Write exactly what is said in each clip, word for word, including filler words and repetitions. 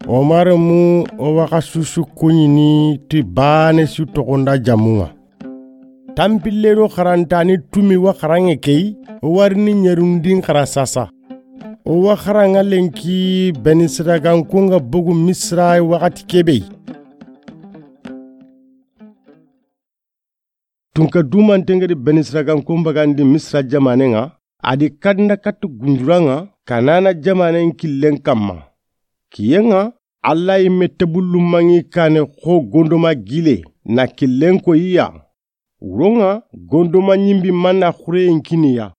Omar mu o waxa susu kuɲini ti baane su toxonda jamunŋa. Tanpille do xarantani tumi wa xaranŋe key, o warini ɲerundin xara sasa. O wa xaranŋa lenki Benisiraganko ŋa bogu Misira waxati kebe. Tunka dumanten ga di Benisiraganko n bagandi Misira jamanen ŋa, a di kanda katti gunjuran ŋa Kanana jamanen killen kanma. Kiyen ŋa, Alla yi me tebullu mangi kane xo gondoma gile na killen ko iya. Wuron ŋa gondoma ɲimbi manna xureyen kiniya.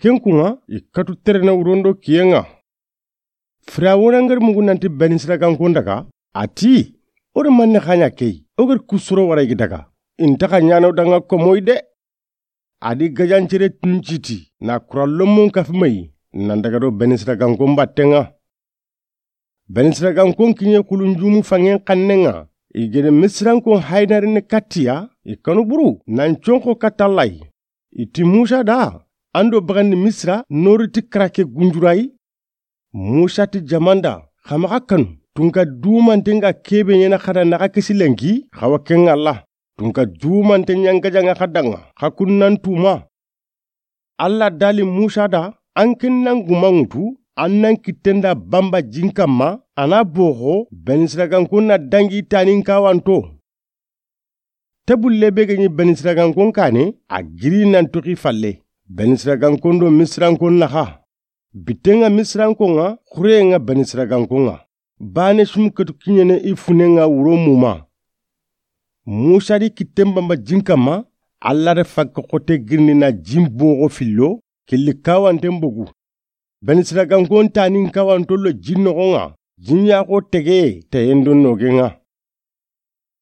Ken kun ŋa i katu terene wuron do kiyen ŋa. Firawuna ngari mugu nanti Benisiraganko n daga, a ti, o ri manne xaɲa key, o gari kusuro wara i gi daga. Inta xa ɲano danga komoy de. A di gajancere tunciti na kurallomon kafi mayi, nan daga do Benisiraganko n batten ŋa. Benisiraganko n kiɲe kulunjumu fangen xannen ŋa, i gede Misirankon haynarini kattiya, i kanu buru nan conxo katta Alla yi. I ti Musa da, an do bagandi Misira nori ti karake gunjurayi. Musa ti jamanda, xa maxa kanu, tunka dumanten ga kebe ɲena xada naxa kisi lenki, xa wa ken ŋa Alla. Tunka dumanten ɲangajanŋa xa danŋa, xa kun nan tuma. Alla dali Musa da, an ken nan guma ŋutu, an nan kitten da bamba jin kanma, a na boxo, Benisiraganko na dangi tanin kawanto. Tebulle be ga ɲi Benisiraganko n kane, a giri nan toxi falle. Benisiraganko n do Misirankon naxa. Bitten ŋa Misirankon ŋa, xureyen ŋa Benisiraganko n ŋa. Baane sum katu kiɲene i funen ŋa wuro muma. Musa di kitten bamba jin kanma, Alla da fakke xote girindi na jin boxo fillo, killi kawanten bogu. Benisiraganko n tanin kawanto lo jin noxon ŋa, jin yaxo tege teyen do nogen ŋa.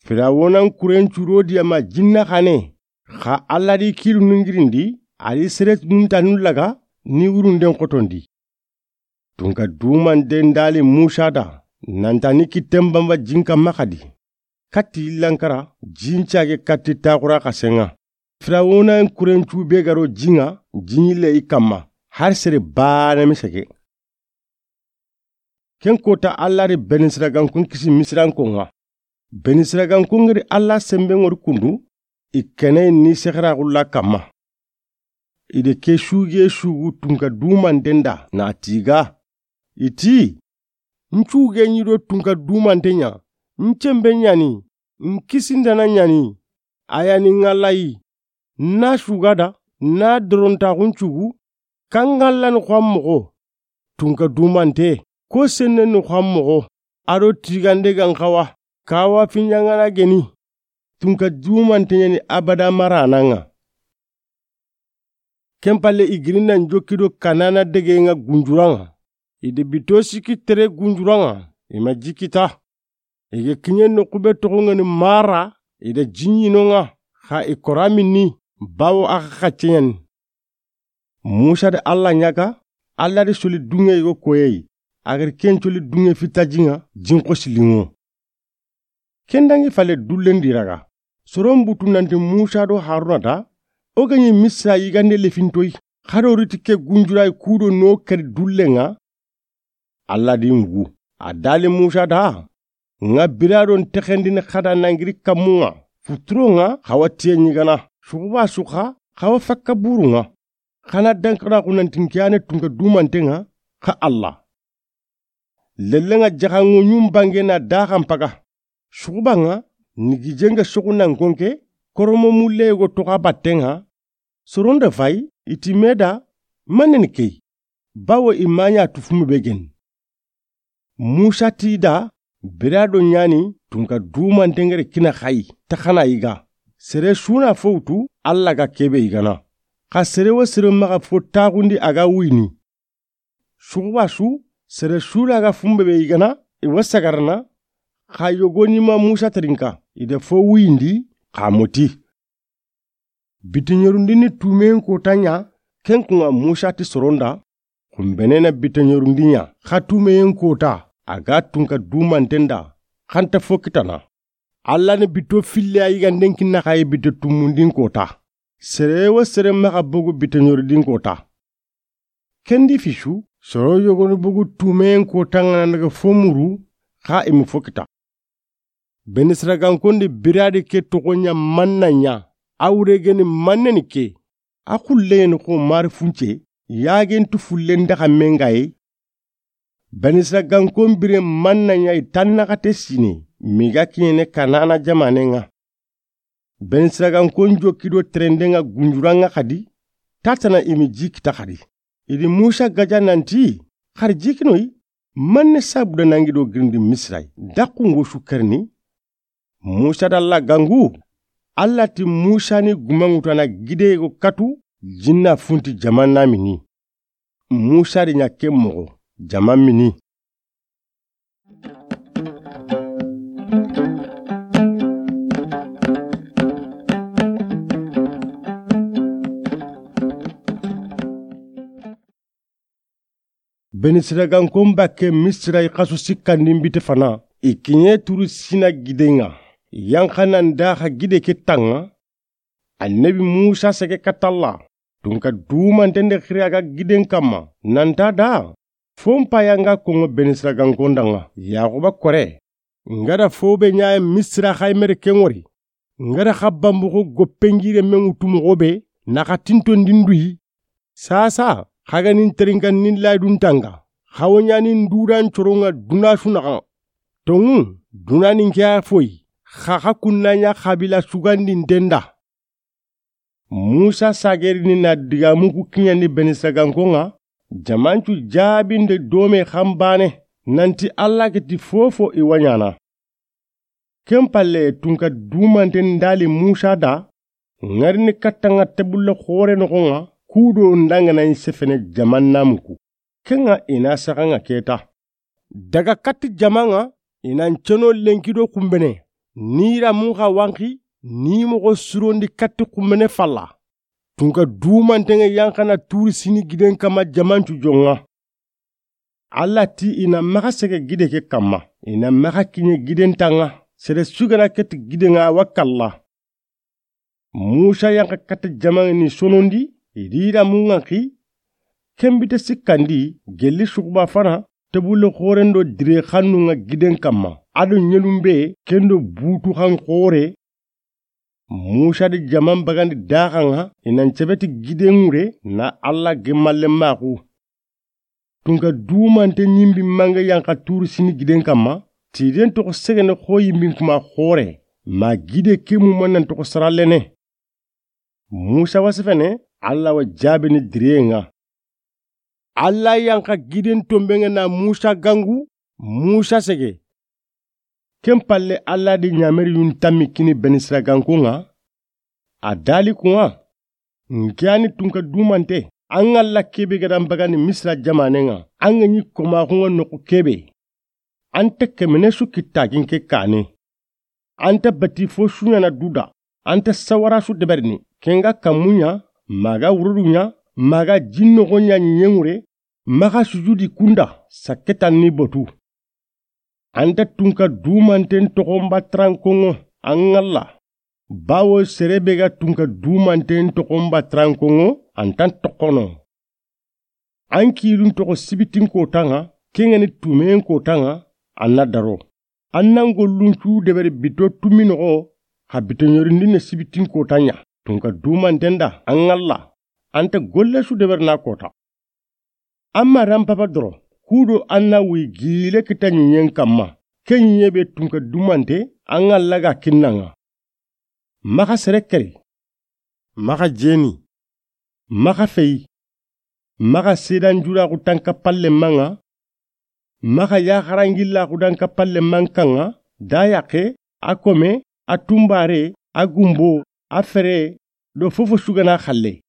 Firawuna n kuren curo diya ma jinna xane, xa Alla di kilu nungirindi, a di sere nun tanu laga ni wurunden xotondi. Tunka dumanten dali Musa da, nanta ni kitten bamba jin kanma xadi. Katti yillankara, jin cage katti taxura xasen ŋa. Firawuna n kuren cu be ga ro jin ŋa, jin yille i kanma, har sere baane mi sege. Ken kota Alla ri Benisiraganko n kisi Misirankon ŋa. Benisiraganko ngari Alla sembe ŋori kundu, i kene ni sexeraxulla kanma. I de ke suge sugu tunka dumanten da na tiga. I ti, n cuge ɲi do tunka dumanten ɲa, n cembe ɲani, n kisindana ɲani, a yani ŋallayi, na sugada, na dorontaxun cugu, kangallani xo an moxo. Tunka dumante, ko senneni xo an moxo, a do tigande gan xawa, kawa fiɲangana geni. Tunka dumante ɲani abada marana ŋa. Ken palle i giri nan jokki do Kanana dege ŋa gunjuran ŋa. I de bito siki tere gunjuran ŋa, i ma jikita. I ga kiɲe noxu be toxo ŋa ni Mara, i da jiɲino ŋa, xa i kora minni, bawo a xa xacce ɲani. Musa da Alla ɲaga, Alla da soli duŋe yogo koyeyi, a gari ken soli duŋe fita jiŋa, jin xosiliŋo. Ken dangi fale dullen di raga. Soron butu nanti Musa do Haruna da, o ga ɲi Misira yigande lefintoyi, xa do riti ke gunjurayi kudo no kari dullen ŋa, Alla di ŋugu. A dali Musa da, ŋa bira do n texendini xada nangiri kammu ŋa, futuro ŋa, xa wa tiye ɲigana, suxuba su xa, xa wa fakka buru ŋa. Xana dankara xunanti n kiyane tunka dumante ŋa, xa Alla. Lelle ŋa jaxanŋo ɲum bange na daxan paga. Suxuba ŋa, ni gije ŋa soxu nan konke, koromo mulle yogo toxa batte ŋa, soron da fay, i ti me da, manen key, bawo i ma ɲa tufumu be geni. Musa ti da, bira do ɲani, tunka dumante ŋere kina xayi, ta xana yiga. Sere su na fo wutu, Alla ga kebe yigana. Xa sere wo sere maxa fo taxundi a ga wuyini. Suxuba su, sere su la ga fumbe be yigana, i wa sagarana, xa yogoni ma Musa terinka, i da fo wuyindi, xa moti. Biteɲerundini tumeyen kota ɲa, ken kuŋa Musa ti soron da, xunbenena biteɲerundi ɲa, xa tumeyen kota, a ga tunka dumanten da, xanta fo kitana. Alla ni bito fille a yiganden kinna xa yi bite tumundin kota. Sere wo sere maxa bogu biteɲerundin kota. Ken di fisu, soro yogoni bogu tumen ko tangana daga fo muru, xa i mu fo kita. Benisiraganko ndi biradi ke toxo ɲa manna ɲa, a wure geni manneni ke, a xulleyeni xo mari funce, yagentu fullen daxa mengaye. Benisiraganko bire manna ɲa i tannaxate sine, miga kiɲene Kanana jamanen ŋa. Benisiraganko jokido terenden ŋa gunjuran ŋa xadi, tatana i mi ji kita xadi. I di Musa gaja nanti, xari jikinoyi, manne sabuda nangi do girindi Misira yi, daxungo su kerini? Musa da Alla gangu, Alla ti Musa ni gumanŋutana gide go katu, jinna funti jamanna mini. Musa di ɲa ke moxo, jama mini. Benisiraganko bakke Misira yi xasu sikkandi bite fana, i kiɲe turu Sina giden ŋa, yanxanan daxa gide ke tanŋa. Annabi Musa sege katalla, tunka dumanten de xiri a ga giden kamma, nanta da, fo n paya nga konŋo Benisiraganko nda ŋa, Yaxuba kore, nga da fo be ɲaye Misira xaymere ken ŋori, nga da xa bambuxo goppengire men ŋutu moxo be, na xa tinto ndinduyi. Sasa, xa ga nin terinkan nin laydun tanga, xa wo ɲani nduran coron ŋa duna su naxan. Tonŋu, duna nin ke a foyi, xa xa kunna ɲa xabila sugandinten da. Musa sagerini na digamu ku kiɲandi Benisiraganko ŋa, jamancu jabinde dome xanbane, nanti Alla ga ti fofo i wa ɲana. Ken palle tunka dumanten dali Musa da, ŋarini katta ŋa tebulle xore noxon ŋa, kudo ndangana i sefene jamanna muku. Ken ŋa i na saxa ŋa keta. Daga katti jama ŋa, i na nceno lenki do xumbene, ni ramun xa wanxi, ni moxo surondi katti xumbene falla. Tunka dumanten ŋa yanxana turu Sini giden kamma jamancu jonŋa. Alla ti i na maxa sege gide ke kamma, i na maxa kiɲe giden tanŋa, sere sugana keti giden ŋa wa kalla. Musa yanxa kata jamaŋe ni sonondi, i di ramun ŋa xi, ken bite sikkandi, gelli suxuba fana, tebulle xoren do dire xannun ŋa giden kamma, a do ɲelun be, ken do butu xan xore. Musa di jaman bagandi daxan ŋa, i na ncebeti giden ŋure, na Alla gemmalle maxu. Tunka dumante ɲimbi mange yanxa turu Sini giden kamma, tiden toxo segene xo yimbin kuma xore, ma gide ke mu manan toxo saralene. Musa wa sefene, Alla wa jabini diren ŋa. Alla yanxa giden tomben ŋa na Musa gangu, Musa sege. Ken palle Alla di ɲameri yun tammi kini Benisiraganko ŋa, a dali ku ŋa, nke a ni tunka dumante, an ŋa Alla kebe ga dan bagandi Misira jamanen ŋa, an ga ɲi komaxun ŋa noxu kebe. An ta kemene su kittagin ke kane. An ta bati fo su ɲana duda. An ta sawara su deberini. Ken ga kammu ɲa, maga wurudu ɲa, maga jinnoxo ɲa ɲeŋure, maxa sujudi kunda, sakketan ni botu. An ta tunka dumanten toxon batrankonŋo, an ŋa Alla. Bawo sere be ga tunka dumanten toxon batrankonŋo, an tan toxono. An kilun toxo sibitin kotan ŋa, ken ŋa ni tumen kotan ŋa, an na daro. An nan gollun cu deberi bito tumi noxo, xa bito ɲorindin ne sibitin kotan ɲa. Tunka dumanten da, an ŋa Alla. An ta golle su deberi na kota. Amma ran papa doro, kudo an na wuyi gile kita ɲiɲen kamma. Ke ɲiɲe be tunka dumante, an ŋa Alla ga kinnan ŋa. Maxa sere keri, maxa jeni, maxa feyi, maxa sedan juraxu tanka palle maŋa, maxa yaxarangillaxu danka palle mankaŋa, da yaxe, a kome, a tunbare, a gumbo, a fere, do fofo sugana xalle.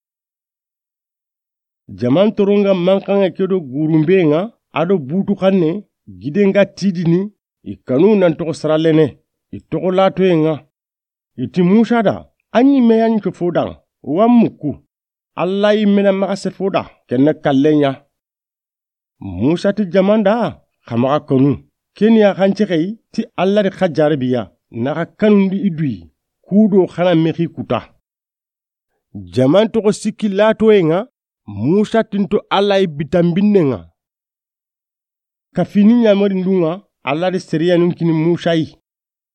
Jaman toronga mankaŋa ke do gurumbe ŋa, a do butu xanne, giden ga tidini, i kanu nan toxo saralene, i toxo latoye ŋa. I ti Musa da, an ɲimme yan ke fo dan, wa muku. Alla yimme na maxa se fo da, kenne kallen ɲa. Musa ti jaman da, xa maxa kanu. Ken ya xance xey ti Alla di xa jarabiya, na xa kanundi i duyi, kudo xana mexi kuta. Jaman toxo sikki latoye ŋa, Musa tinto Alla yi bitanbinnen ŋa. Kafini ɲamarindun ŋa, Alla di seriyanun kini Musa yi.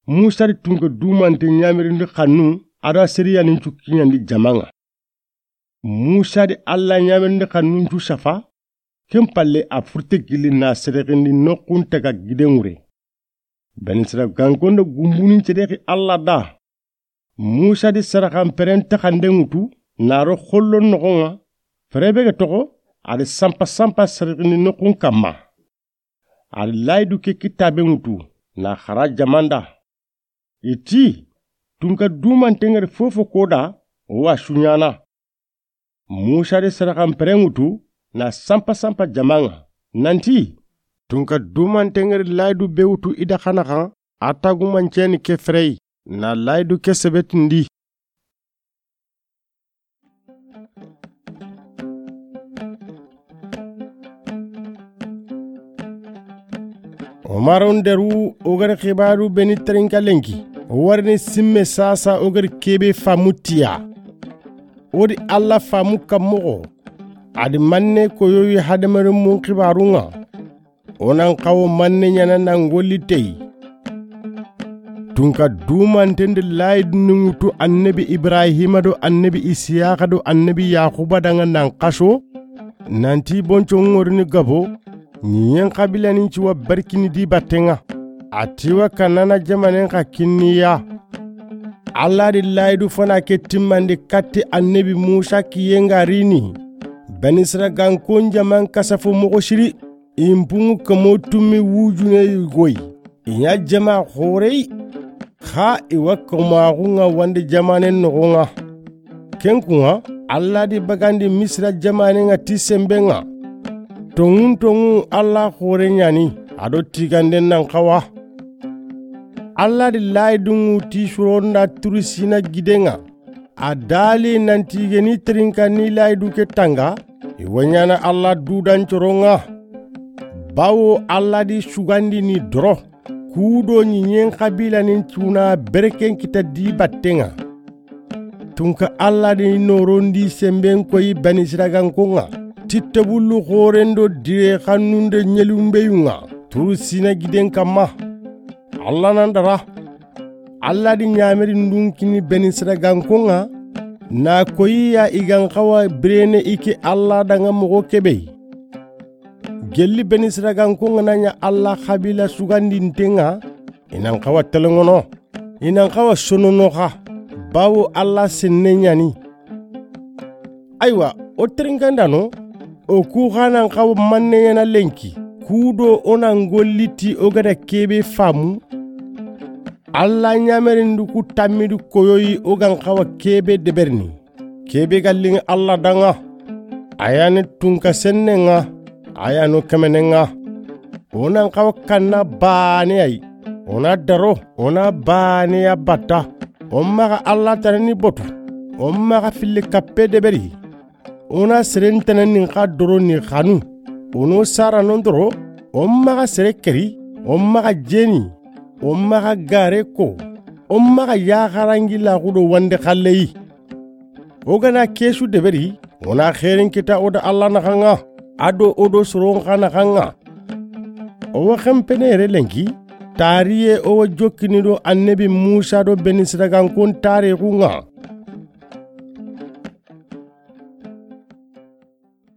Musa di tunka dumante ɲamarindi xannu, a da seriyanun cu kiɲandi jaman ŋa. Musa di Alla ɲamarindi xannun cu safa, ken palle a furte gilli na serexindi noxun taga giden ŋure. Benisiragankonde gumbunin cedexi Alla da. Musa di saraxan peren taxanden ŋutu, na ro xollon noxon ŋa, fere be ga toxo, a di sanpa sanpa serexindi noxun kanma. A di layidu ke kitabe ŋutu, na xara jamanda. I ti, tunka dumanten ŋa ri fofo koda, o wa suɲana. Musa di saraxan peren ŋutu, na sanpa sanpa jaman ŋa. Nanti, tunka dumanten ŋa ri layidu be wutu i da xana xan, a tagumanceni ke ferey, na layidu ke sebetindi. Omaron deru o gari xibaru beni terinka lenki. O warini simme sasa o gari kebe famu tiya. O di Alla famu kammoxo. A di manne koyoyi hadamarin mun xibarun ŋa. O nan xawo manne ɲana nan golli tey. Tunka dumanten di layidu ni ŋutu annabi Ibrahima do annabi Isiyaxa do annabi Yaxuba danŋa nan xaso. Nanti bonco ŋorini gabo. Ɲiɲen xabilanin ci wa barkini di batten ŋa. A ti wa Kanana jamanen xa kinniya. Alla di layidu fana ke timmandi katti annabi Musa kiyen ga rini. Benisiraganko n jaman kasafo moxo siri. I n punŋu kamo tummi wujune yugoyi. I ɲa jama xorey. Xa i wa kamaxun ŋa wandi jamanen noxon ŋa. Ken kun ŋa, Alla di bagandi Misira jamanen ŋa ti senben ŋa. Tonŋun tonŋu Alla xore ɲani, a do tiganden nan xawa. Alla di layidun ŋuti suronda Turu Sina giden ŋa. A dali nanti geni terinka ni layidu ke tanga, i wa ɲana Alla dudan coron ŋa. Bawo Alla di sugandi ni doro. Kudo ɲiɲen xabilanin cuna berken kita di batten ŋa. Tunka Alla di norondi senben koyi Benisiraganko ŋa. Tittebullu xoren do dire xannunde ɲelumbeyun ŋa. Turu Sina giden kanma. Alla nan dara. Alla di ɲamerindun kini Benisiraganko ŋa. Na koyi ya i gan xawa birene i ke Alla danŋa moxo kebe. Gelli Benisiraganko ŋa na ɲa Alla xabila sugandinten ŋa, i nan xawa telenŋono, i nan xawa sonono xa, bawo Alla senne ɲani. Aywa, o terinkandano, o ku xa nan xawa manne ɲana lenki, kudo o nan golli ti o ga da kebe famu. Alla ɲamerindu ku tammidu koyoyi o gan xawa kebe deberini. Kebe ga liŋi Alla danŋa. A ya ni tunka sennen ŋa. A ya no kemenen ŋa. O nan xawa kanna baane ay. O na daro. O na baane ya batta. O maxa Alla tanani botu. O maxa filli kappe deberi. O na seren tanani xa doro ni xanu. O no sara non doro. O maxa sere keri. O maxa jeni. O maxa gare ko. O maxa yaxarangi laxudo wande xalleyi. O ga na kesu deberi, o na xeerin kita o da Alla naxan ŋa, a do o do soron xa naxan ŋa. O wa xenpene yere lenki, tariye o wa jokkini do annabi Musa do Benisiragankon tarixun ŋa,